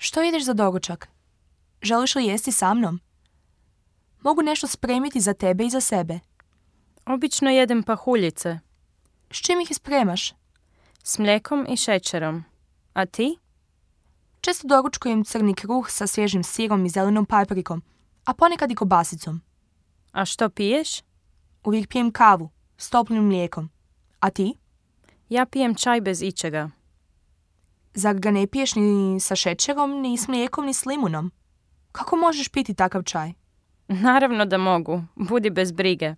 Što ideš za doručak? Želiš li jesti sa mnom? Mogu nešto spremiti za tebe i za sebe. Obično jedem pahuljice. S čim ih spremaš? S mlijekom i šećerom. A ti? Često doručkujem crni kruh sa svježim sirom i zelenom paprikom, a ponekad i kobasicom. A što piješ? Uvijek pijem kavu s toplim mlijekom. A ti? Ja pijem čaj bez ičega. Zar ga ne piješ ni sa šećerom, ni s mlijekom, ni s limunom? Kako možeš piti takav čaj? Naravno da mogu. Budi bez brige.